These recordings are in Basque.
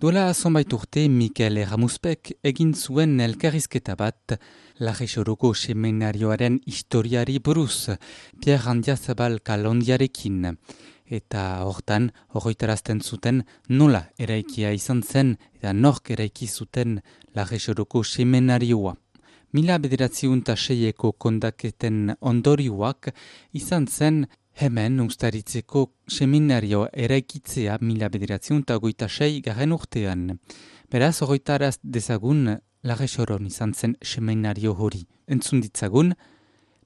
Duela zonbait urte Mikel Erramuspek egin zuen elkarrizketa bat Larrexoroko seminarioaren historiari buruz, Pierre Andiazabal Kalondiarekin. Eta hortan, horretarazten zuten nola eraikia izan zen eta nork eraiki zuten Larrexoroko seminarioa. 1906eko kondaketen ondorioak izan zen hemen Uztaritzeko seminario eraikitzea 1906 garen urtean. Beraz, horretaraz dezagun Larrexoron izan zen seminario hori. Entzun ditzagun,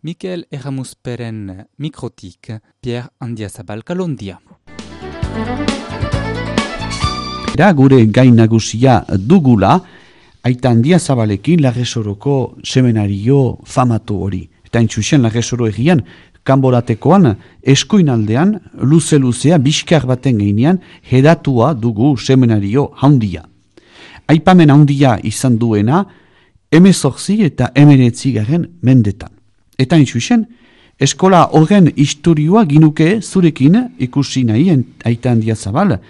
Mikel Erramusperen mikrotik, Pierre Andiazabal Kalondia. Gure gain nagusia dugula, Aita Andiazabalekin Larrexoroko seminario famatu hori. Eta intxusen Larrexoro egian, kanboratekoan, eskuinaldean, luze-luzea, biskar baten geinean, hedatua dugu seminario handia. Aipamen handia izan duena, 18 eta 19 garen mendetan. Eta intxusen, eskola horren historioa ginuke zurekin ikusi nahi Aita Andiazabal,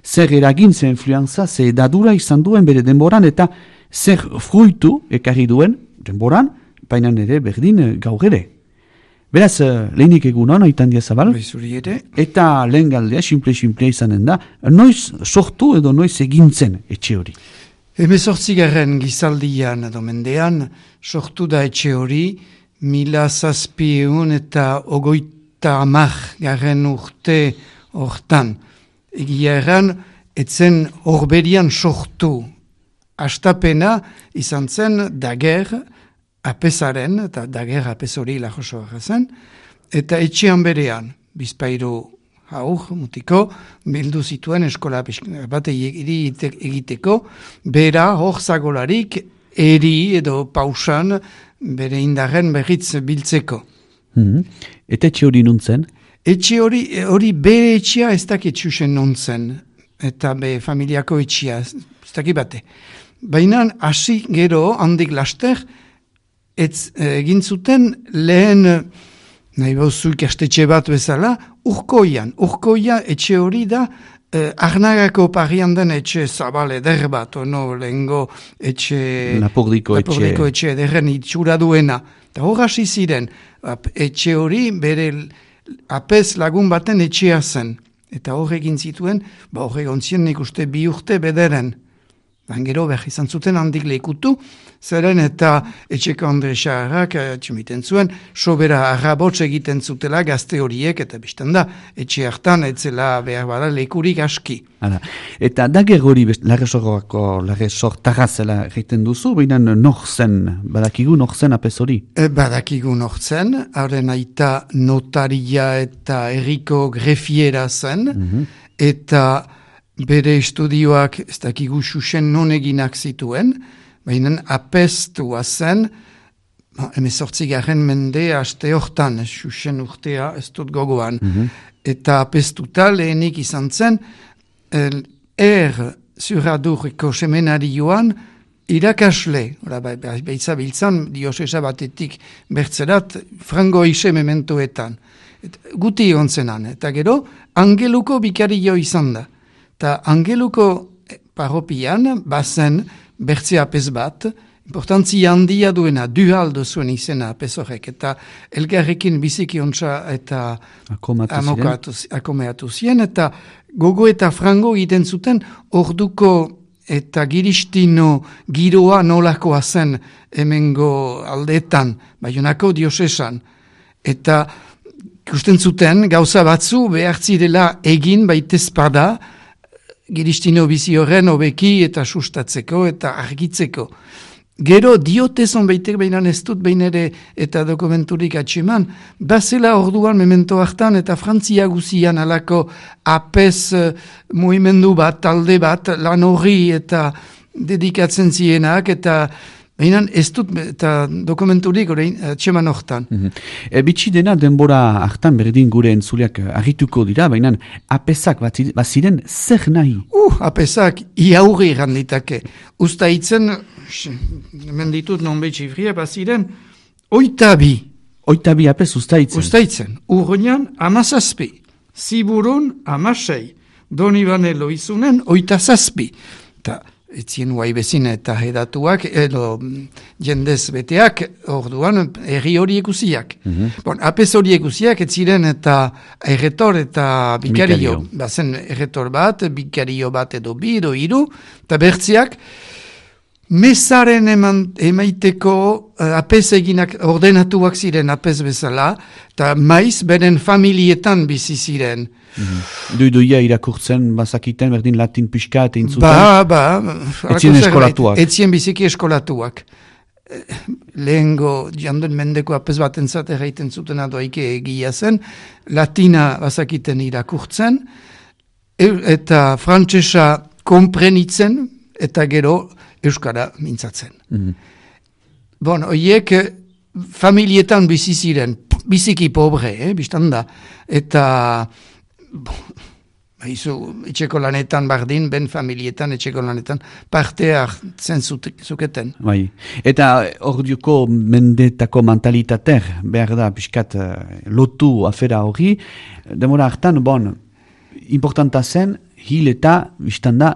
zer eragin, zer influenza, zer edadura izan duen bere denboran, eta zer fruitu ekarri duen denboran, baina ere berdin gaur ere. Beraz, lehenik egunon, Aita Andiazabal, eta lehen galdea, simple izanen da, noiz sortu edo noiz egintzen etxe hori? 18. gizaldian edo mendean, sortu da etxe hori, 1750 eta 30 urte hortan. Egia erran, etzen horberian sortu. Astapena izan zen dager apesaren, eta dager apes hori Larrexoa zen, eta etxean berean, bizpairu mutiko, bildu zituen eskola bat egiteko, bera hor zagolarik eri edo pausan bere indarren berriz biltzeko. Eta etxe hori nuntzen? Etxe hori bere etxea ez dakit txusen nuntzen, eta be familiako etxea, ez dakit bate. Baina hasi gero handik laster, egin zuten lehen, nahi bauzu ikastetxe bat bezala, Urkoia etxe hori da, Arnagako parian den etxe zabal eder bat, lehengo etxe... Lapordiko etxe ederren itxura duena. Eta hor hasi ziren, etxe hori bere apez lagun baten etxea zen. Eta hor egin zituen, hor egon ziren nik uste 2 urte bederen. Gero behar izan zuten handik lehikutu, zeren eta etxeko Andre Xaharrak txumiten zuen, sobera arrabotz egiten zutela gazte horiek, eta biztan da, etxe hartan etzela behar bada lehikurik aski. Eta dager hori Larrexortarra zela egiten duzu, baina badakigu nor zen apez hori? Badakigu nor zen, haren aita notaria eta herriko grefiera zen, eta bere estudioak ez dakigu xuxen non eginak zituen, baina apestua zen, 18. mende aste hortan, xuxen urtea ez dut gogoan. Eta apestuta lehenik izan zen, Zuradurreko seminarioan irakasle, baitzabiltzan diosesa batetik bertzerat, frango ise mementoetan. Guti egon zenan, eta gero, Angeluko bikario izan da. Eta Angeluko paropian, bazen bertze apez bat, importantzia handia duena, duhaldo zuen izena apez horrek, eta elgarrekin biziki ontsa eta akomeatu ziren, eta gogo eta frango egiten zuten orduko eta giristino giroa nolakoa zen hemengo aldeetan, Baionako diosesan, eta ikusten zuten gauza batzu behartzirela egin baitezpada, giristino bizi horren hobeki eta sustatzeko eta argitzeko. Gero diotezon baitek behinan ez dut behin ere eta dokumenturik atxeman, bazela orduan memento hartan eta Frantzia guzian alako apez mugimendu bat, talde bat, lan horri eta dedikatzen zienak eta behinan ez dut eta dokumenturik atxeman hortan. Bitsi dena denbora hartan berdin gure entzuleak argituko dira, baina apezak baziren zer nahi? Apezak iaurri randitake. Usta hitzen, menditut non betxifria, baziren, 8. 8 apez ustaitzen? Ustaitzen. Urruñan 17. Ziburun 16. Donibane Loizunen 8. eta etzien guai bezin eta hedatuak, edo jendez beteak, orduan, erri horiek usiak. Bon, apez horiek usiak, ez ziren eta erretor eta bikario. Bazen erretor bat, bikario bat edo bi, edo hiru, eta bertziak, mesaren emaiteko apez eginak ordenatuak ziren apez bezala, eta maiz beren familietan bizi ziren. Duiduia irakurtzen, bazakiten, berdin latin pixka eta intzuten? Etzien eskolatuak. Etzien biziki eskolatuak. Lehengo, jandun mendeko apez bat entzat erraiten zuten adoaike egia zen, latina bazakiten irakurtzen, eta frantsesa konprenitzen, eta gero euskara mintzatzen. Bon, oiek familietan bizi ziren, biziki pobre, biztanda, eta etxeko lanetan bardin, ben familietan etxeko lanetan parte hartzen zuketen. Bai. Eta orduko mendetako mentalitater, behar da, pixkat lotu afera hori, demora hartan, bon, importanta zen, hil eta biztanda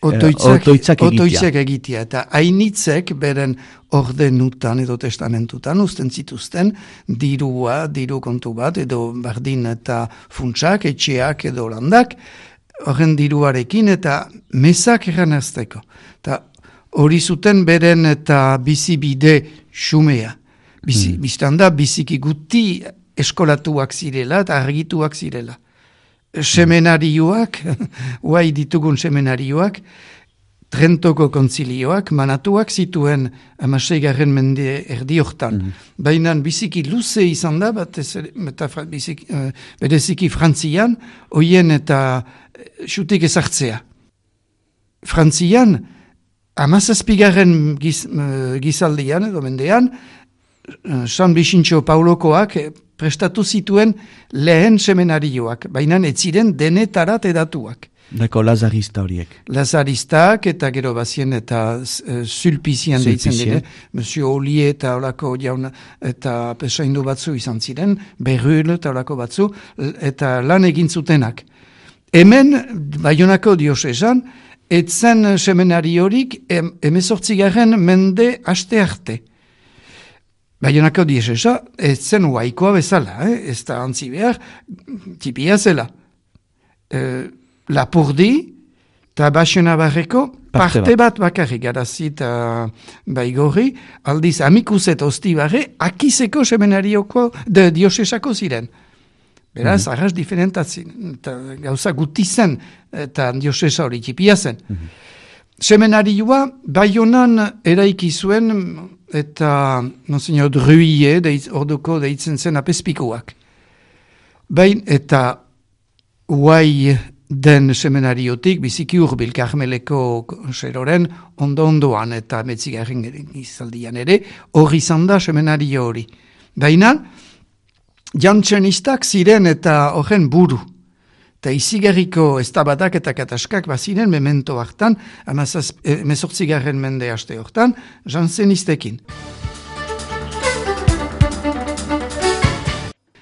otoitzak egitea. Eta hainitzek beren ordenutan edo testamentutan usten zituzten diru kontu bat edo bardin eta funtsak, etxeak edo landak horren diruarekin eta mesak erranazteko. Eta hori zuten beren eta bizibide xumea. Biztanda biziki guti eskolatuak zirela eta argituak zirela. Semenarioak, guai ditugun semenarioak, Trentoko kontzilioak, manatuak zituen 16. mende erdi hortan. Baina biziki luze izan da, bereziki Frantzian, oien eta xutik ezartzea. Frantzian, 17. gizaldian edo mendean, San Bixintxo Paulokoak prestatu zituen lehen semenarioak, baina ez ziren denetarat edatuak. Dako lazarista horiek. Lazaristak eta gero bazien eta Sulpizian deitzen dire, Monsieur Ollier eta olako jauna eta pesaindu batzu izan ziren, Berrul eta olako batzu, eta lan egin zutenak. Hemen, Baionako diosesan, etzen semenari horik 18. mende aste arte. Baionako diosesa, ez zen uaikoa bezala, ez da antzi behar, tipia zela. Lapurdi, eta Baxenabarreko parte bat bakarrik, garazi eta baigorri, aldiz amikuzet ostibarre, akizeko semenarioko diosesako ziren. Beraz, arras diferentatzen, eta gauza guti zen, eta diosesa hori tipia zen. Semenarioa, Baionan eraiki zuen, eta Monsignor Druille, orduko deitzen zen apespikuak. Bain, eta uai den semenariotik, biziki urbil Karmeleko seroren, ondoan eta metzigarren izaldian ere, hori izan da semenario hori. Baina, jantzenistak ziren eta horren buru. Eta izigarriko eztabadak eta kataskak baziren memento hartan, 18. mende aste hortan, jantzenistekin.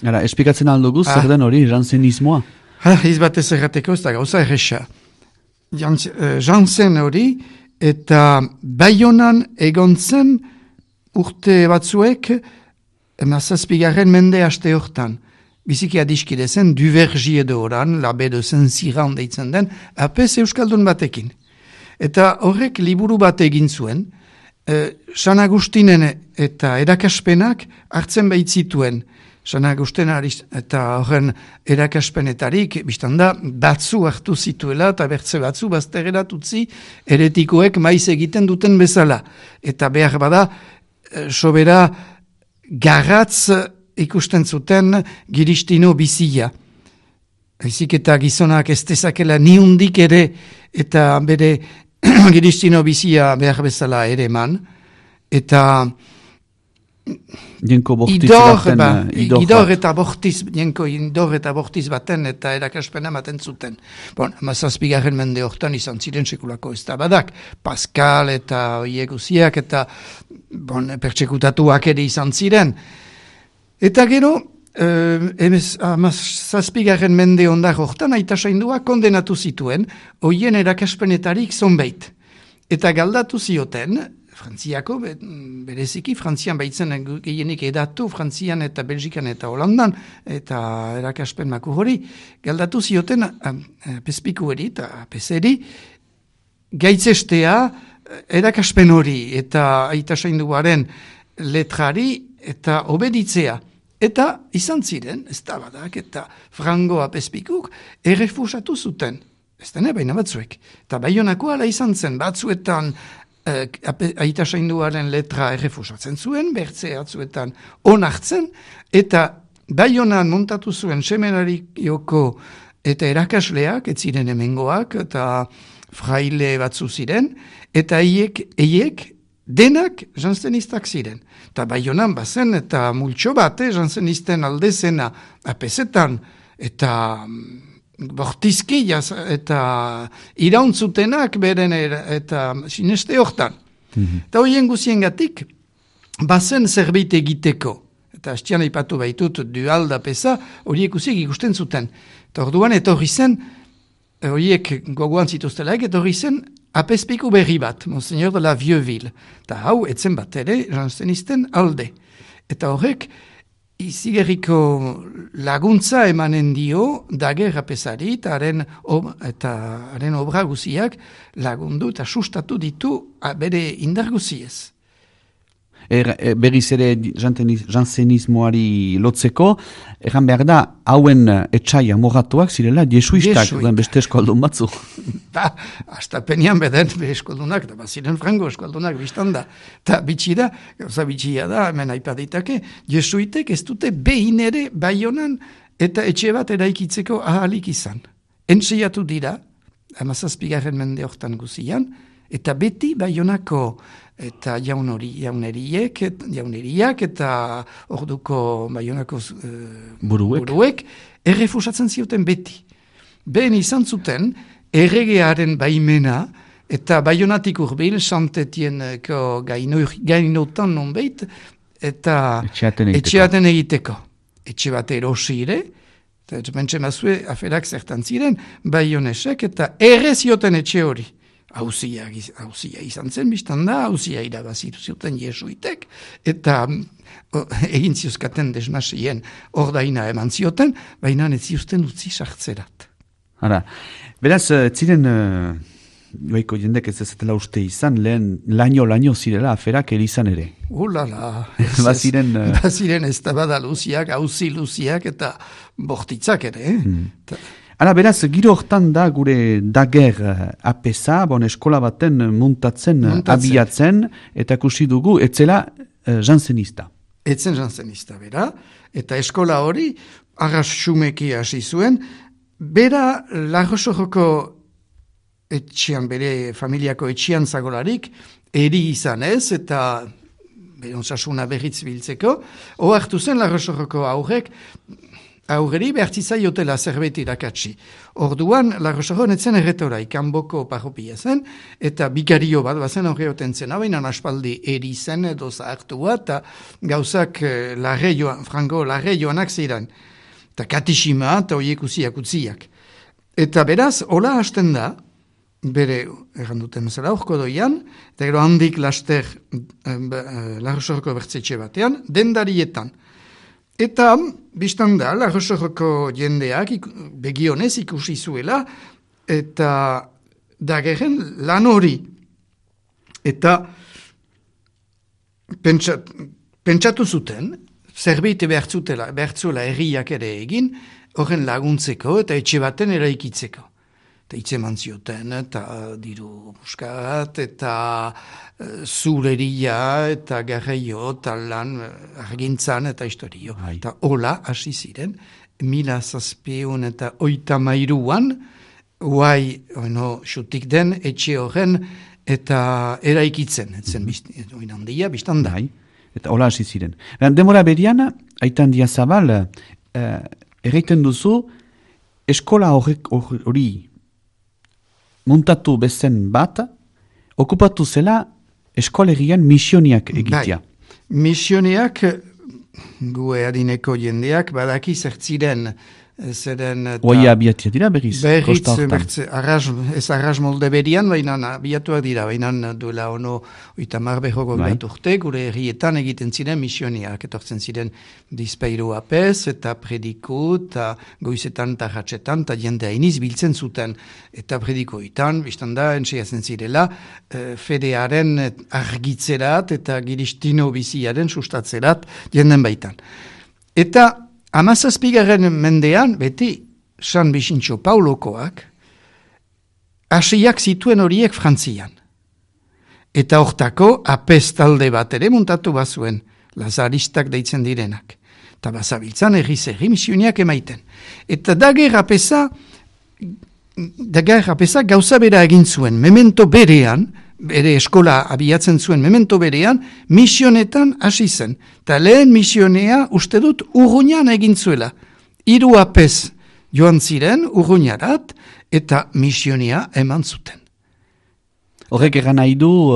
Gara, espikatzen aldugu, zer den hori jantzenismoa? Izbatez errateko, ez da gauza erresa. Jantzen hori, eta Baionan egontzen urte batzuek, 17. mende aste hortan. Biziki adiskide zen, Duvergi edo oran, labe de Saint-Cyran deitzen den, apez euskaldun batekin. Eta horrek liburu bat egin zuen, San Agustinen eta erakaspenak hartzen baitzituen. San Agusten eta horren erakaspenetarik, biztanda, batzu hartu zituela eta bertze batzu baztereratutzi eretikoek maiz egiten duten bezala. Eta behar bada, sobera garratz ikusten zuten giristino bizia. Ezik eta gizonak ez dezakela niundik ere eta bere giristino bizia behar bezala ere eman. Eta idor eta bortiz baten eta erakaspena maten zuten. Bon, 17. mende hortan izan ziren sekulako ez da badak. Pascal eta oieguziak eta pertsekutatuak ere izan ziren. Eta gero, zazpigarren mende ondar hortan, aita saindua kondenatu zituen, hoien erakaspenetarik zonbait. Eta galdatu zioten, Frantziako, bereziki, Frantzian baitzen gehienik edatu, Frantzian eta Belgikan eta Holandan, eta erakaspen maku hori, galdatu zioten pespikueri eta peseri, gaitzestea erakaspen hori eta aita sainduaren letrari eta obeditzea. Eta izan ziren, ez da badak, eta Frango apespikuk errefusatu zuten. Ez dene, baina batzuek. Eta Baionako ala izan zen, batzuetan aita sainduaren letra errefusatzen zuen, bertze atzuetan onartzen, eta Baionan montatu zuen seminarioko eta erakasleak, ez ziren hemengoak, eta fraile batzu ziren, eta eiek denak janzenistak ziren. Eta Baionan bazen, eta multxo bat, janzenisten aldezena apesetan, eta bortizki eta irauntzutenak beren eta sineste hortan. Eta horien guziengatik, bazen zerbait egiteko. Eta hastian aipatu baitut dualda pesa, horiek guziek ikusten zuten. Eta orduan etorri zen, horiek gogoan zituztelaik, etorri zen apespiku berri bat, Monseigneur de la Vieux-Ville. Eta hau, etzen bat ere, janzenisten alde. Eta horrek, izigerriko laguntza emanen dio Daguerre apesari eta haren obra guziak lagundu eta sustatu ditu bere indar guziez. Berriz ere janzenismoari lotzeko, erran behar da, hauen etxaia moratuak zirela jesuistak, beste eskualdun batzu. Astapenean beden eskualdunak, eta baziren Frango eskualdunak biztan da. Eta bitxia da, hemen aipaditake, jesuitek ez dute behin ere Baionan eta etxe bat eraikitzeko ahalik izan. Entseiatu dira, 17. mende hortan guzian, eta beti Baionako eta jauneriak eta orduko Baionako buruek errefusatzen zioten beti. Behen izan zuten erregearen baimena eta Baionatik urbil Santetieneko gainotan nonbait eta etxeaten egiteko. Etxe bat erosire, eta pentsen bazue aferak zertan ziren Baionesek eta errezioten etxe hori. Hauzia izan zen biztan da, hauzia irabazitu zuten jesuitek, eta egin ziuzkaten desmasien ordaina eman zioten, baina ez ziuzten utzi sartzerat. Beraz, ziren joaiko jendek ez ezatela uste izan, lehen laino zirela aferak erizan ere. Ulala, baziren ez da bada luziak, hauzi luziak eta bortitzak ere. Beraz, giro hortan da gure Daguerre apesa, eskola baten muntatzen, abiatzen, eta kusi dugu, etzela janzenista. Etzen janzenista, bera, eta eskola hori, arras xumeki hasi zuen, bera Larrosoroko etxean, bere familiako etxean zagolarik, eri izan ez, eta bere onsasuna berriz biltzeko, ohartu zen Larrosoroko aurreri behartzizaiotela zerbait irakatsi. Orduan, Larrosoron etzen erretora ikanboko parropia zen, eta bikario bat bazen horreoten zen, baina aspaldi eri zen edo zahartua, eta gauzak Frango larreioanak ziren, eta katixima eta horiek utziak. Eta beraz, hola hasten da, bere, erranduten zela, orko doian, eta gero handik laster Larrosoroko bertzetxe batean, dendarietan. Eta, biztan da, Larrosoroko jendeak begionez ikusi zuela, eta Daguerren lan hori. Eta pentsatu zuten, zerbait behartzuela herriak ere egin, horren laguntzeko eta etxe baten eraikitzeko. Eta itzeman zioten, eta diru buskat, eta zureria, eta garraio, eta lan argintzan, eta historio. Eta hola, hasi ziren, 1700 eta 33an, xutik den, etxe horren, eta eraikitzen, etzen handia, biztan da. Eta hola hasi ziren. Demora berian, Aita Handiazabal, erraiten duzu, eskola hori muntatu bezen bat, okupatu zela eskolegian misioniak egitea. Misioniak gu adineko jendeak badaki zertziren, zeren... Oia abiatia dira berriz? Berriz, ez arras molde berian, baina abiatuak dira, baina duela ono 30 bat urte, gure herrietan egiten ziren misioniak, etortzen ziren dizpeiru apez, eta prediku, eta goizetan eta ratxetan, eta jendea iniz biltzen zuten, eta predikoitan, biztan da, entxeazen zirela, fedearen argitzerat, eta giristino biziaren sustatzerat jenden baitan. Eta 17. mendean, beti, San Bixintxo Paulokoak, hasiak zituen horiek Frantzian. Eta hortako, apez talde bat ere muntatu bazuen, lazaristak deitzen direnak. Eta bazabiltzan erri misioniak emaiten. Eta dager apeza gauza bera egin zuen, memento berean, bere eskola abiatzen zuen memento berean, misionetan hasi zen. Ta lehen misionea uste dut Urruñan egin zuela. 3 apez joan ziren Urruñarat eta misionia eman zuten. Horrek egan nahi du,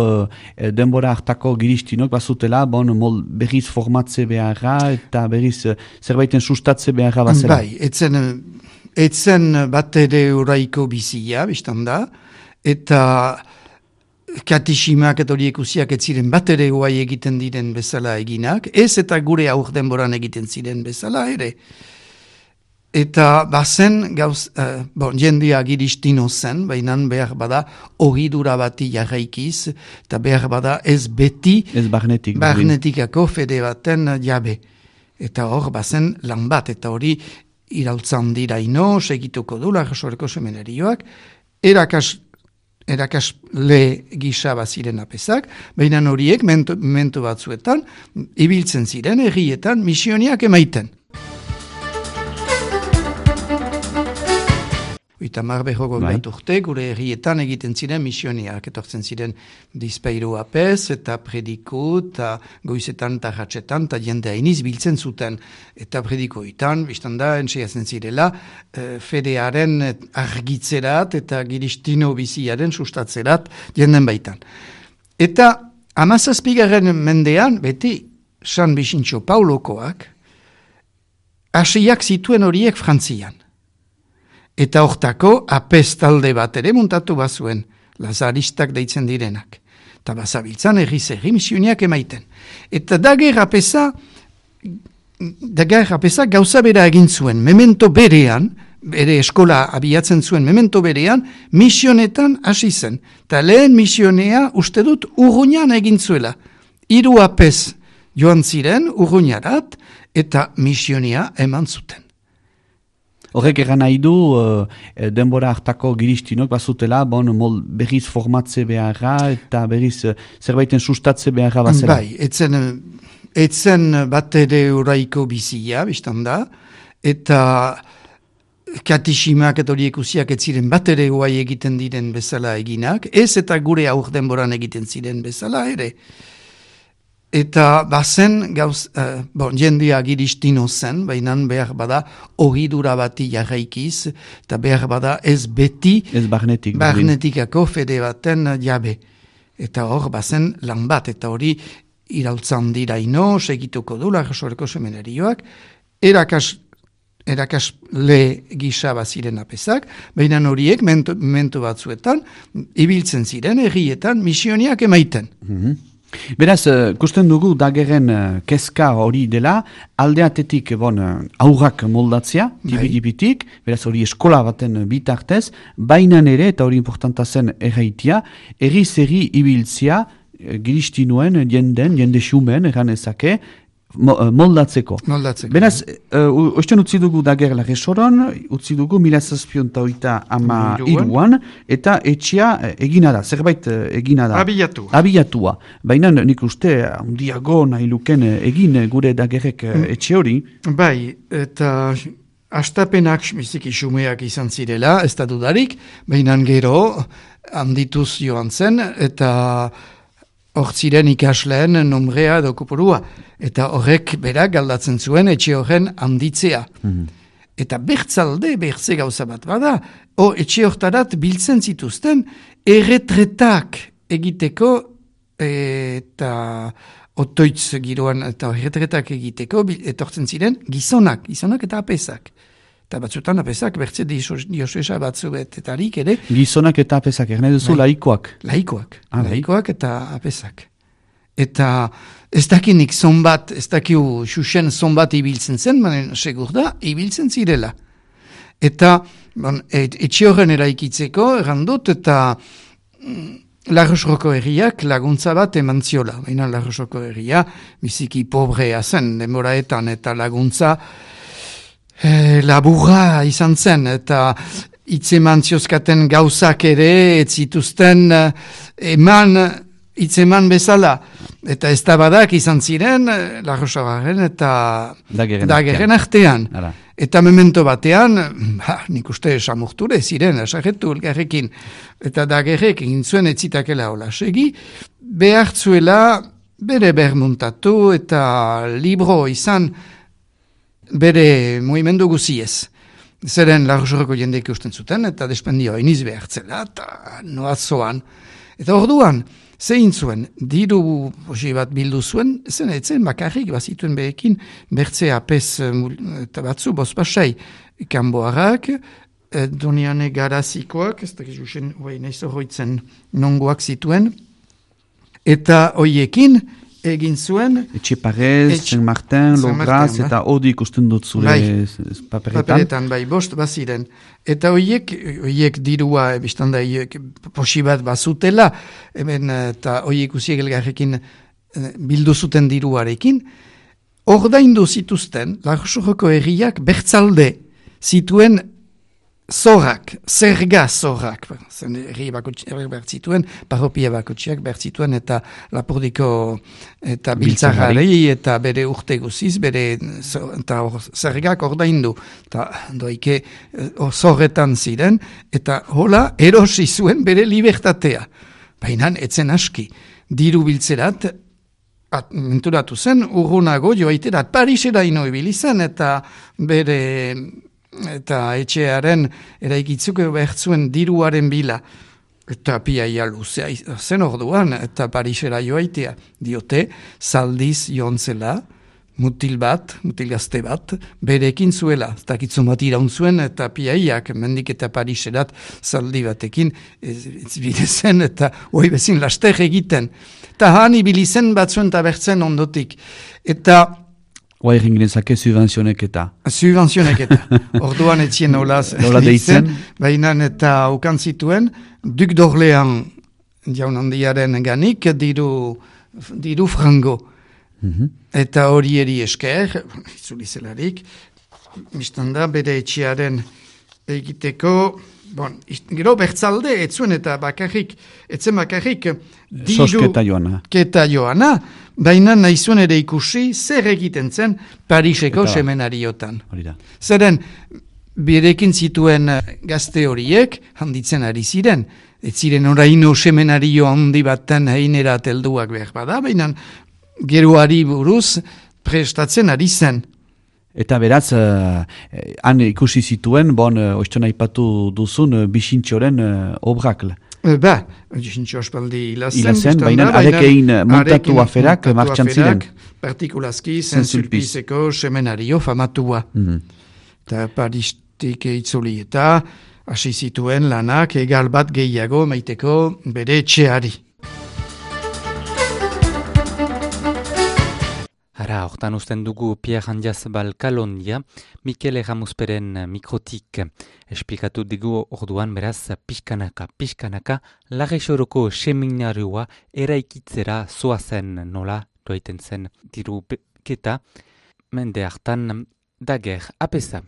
denbora hartako giristinok bazutela, berriz formatze beharra eta berriz zerbaiten sustatze beharra bazela. Bai, etzen bat ere uraiko bizia, biztan da, eta katisimak eta horiek usiak ez ziren bat ere guai egiten diren bezala eginak, ez eta gure aur denboran egiten ziren bezala ere. Eta bazen, jendia giristino zen, baina behar bada ohidura bati jarraikiz, eta behar bada ez beti ez barnetikako fede baten jabe. Eta hor bazen lan bat, eta hori irautzan diraino, segituko du, Lagesoreko seminarioak, erakasle gisa baziren apezak, baina horiek mentu batzuetan, ibiltzen ziren, herrietan, missioniak emaiten. 30 bat urte, gure herrietan egiten ziren missioniak, etortzen ziren dizpeiru apez, eta prediku, eta goizetan eta ratxetan, eta jendea iniz biltzen zuten, eta predikoitan, biztan da, entxeazen zirela, fedearen argitzerat, eta giristino biziaren sustatzerat jenden baitan. Eta 17. mendean, beti, San Bixintxo Paulokoak, hasiak zituen horiek Frantzian. Eta hortako, apez talde bat ere muntatu bazuen, lazaristak deitzen direnak. Eta bazabiltzan erri misioniak emaiten. Eta dager apeza gauza bera egin zuen, memento berean, bere eskola abiatzen zuen memento berean, misionetan hasi zen. Eta lehen misionea uste dut Urruñan egin zuela. 3 apez joan ziren Urruñarat eta misionia eman zuten. Horrek egan nahi du, denbora hartako giristinok bazutela, berriz formatze beharra eta berriz zerbaiten sustatze beharra bazela. Bai, etzen bat ere uraiko bizia, biztan da, eta katisimak eta horiek usiak ez ziren bat ere guai egiten diren bezala eginak, ez eta gure aur denboran egiten ziren bezala ere. Eta bazen, jendia giristino zen, baina behar bada ohidura bati jarraikiz, eta behar bada ez beti barnetikako fede baten jabe. Eta hor bazen lan bat, eta hori irautzan diraino, segituko du, Lagesoreko seminarioak, erakasle gisa baziren apezak, baina horiek mentu batzuetan, ibiltzen ziren, herrietan, missioniak emaiten. Beraz, kusten dugu dagerren kezka hori dela, aldeatetik aurrak moldatzea, tibidipitik, beraz hori eskola baten bitartez, baina ere, eta hori importanta zen erraitia, erri ibiltzea, giristinuen jende xumen, eran ezake, moldatzeko. Beraz, oisten utzi dugu dager Lagesoron, utzi dugu 1783an, eta etxea egina da, zerbait egina da. Abiatua. Baina nik uste, handiago nahi luken egin gure dagerek etxe hori. Bai, eta astapenak biziki xumeak izan zirela, ez da dudarik, baina gero handituz joan zen, eta hortziren ikasleen nombrea edo kopurua. Eta horrek berak galdatzen zuen etxe horren handitzea. Eta bertze gauza bat bada, etxe hortarat biltzen zituzten erretretak egiteko eta otoitz giroan eta erretretak egiteko, etortzen ziren gizonak eta apesak. Eta batzutan apesak, bertze diosesa batzuetarik ere. Gizonak eta apesak, erne duzu laikoak? Laikoak eta apesak. Eta ez dakinik zonbat, ez dakiu xuxen zonbat ibiltzen zen, manen segur da, ibiltzen zirela. Eta etxe horren eraikitzeko, errandut, eta Larrosroko herriak laguntza bat eman ziola. Baina Larrosroko herria biziki pobrea zen demoraetan eta laguntza laburra izan zen. Eta hitzeman ziozkaten gauzak ere ez zituzten hitzeman bezala. Eta ez da badak izan ziren Larrosagaren eta Dagerren artean. Eta memento batean, nik uste samurture ziren, esagetu elgarrekin, eta Dagerrek egin zuen etzitakela hola segi, behartzuela bere bermuntatu eta libro izan bere movimendu guziez. Zeren Larrosoroko jendeik usten zuten, eta despendio iniz behartzela, eta noazoan. Eta orduan, zein zuen, diru posi bat bildu zuen, zen etzen bakarrik bazituen behekin, bertze apez eta batzu bozpasai kanboarrak, doniane garazikoak, ez dakiz usen, nahiz horroitzen nongoak zituen, eta hoiekin egin zuen... Etxeparez, Saint-Martin, Lograz, eta hodi ikusten dut zure paperetan. Paperetan, bost baziren. Eta hoiek dirua, biztanda, posi bat bazutela, hemen, eta hoiek usiek elgarrekin bildu zuten diruarekin, ordaindu zituzten, Larrosoroko herriak bertzalde zituen zorrak, zerga zorrak, herri bertzituen, parropia bakotxiak bertzituen, eta Lapurdiko eta Biltzarrari, eta bere urte guziz, bere zergak ordaindu, eta doike zorretan ziren, eta hola erosi zuen bere libertatea. Baina etzen aski, diru biltzerat, menturatu zen, urrunago joaiterat, Parisera ino ibili zen, eta bere... eta etxearen eraikitzuko behartzuen diruaren bila. Eta piaia luzea zen orduan, eta Parisera joaitea. Diote, zaldiz joan zela, mutil gazte bat, berekin zuela. Takitzun bat iraun zuen, eta piaiak mendik eta Pariserat zaldi batekin bidezen, eta hoi bezin laster egiten. Eta han ibilizen batzuen tabertzen ondotik. Eta Oa egin ginezake subvenzioneketa. Orduan etzien nola deitzen. Baina eta ukan zituen, Duk d'Orlean jaun handiaren ganik diru frango. Eta horieri esker, itzulizelarik, biztanda bere etxearen egiteko, gero bertzalde etzuen eta etzen bakarrik keta joana, baina nahi zuen ere ikusi zer egiten zen Pariseko semenariotan. Zeren, berekin zituen gazte horiek handitzen ari ziren, ez ziren oraino semenario handi baten heinerat helduak behar bada, baina geroari buruz prestatzen ari zen. Eta beraz, han ikusi zituen, oiztona ipatu duzun, Bixintxoren obrak. Bixintxo aspaldi hilazen, baina arekein montatu aferak martxan ziren. Partikulazki, Saint-Sulpizeko semenario famatua. Eta Paristik itzuli eta hasi zituen lanak egal bat gehiago maiteko bere etxeari. Ara, hortan usten dugu Pierre Handiazabal Kalondia, Mikel Erramusperen mikrotik. Esplikatu digu orduan beraz pixkanaka, Larresoroko seminarioa eraikitzera zoazen nola doaiten zen diru keta, mende hartan Dager apesa.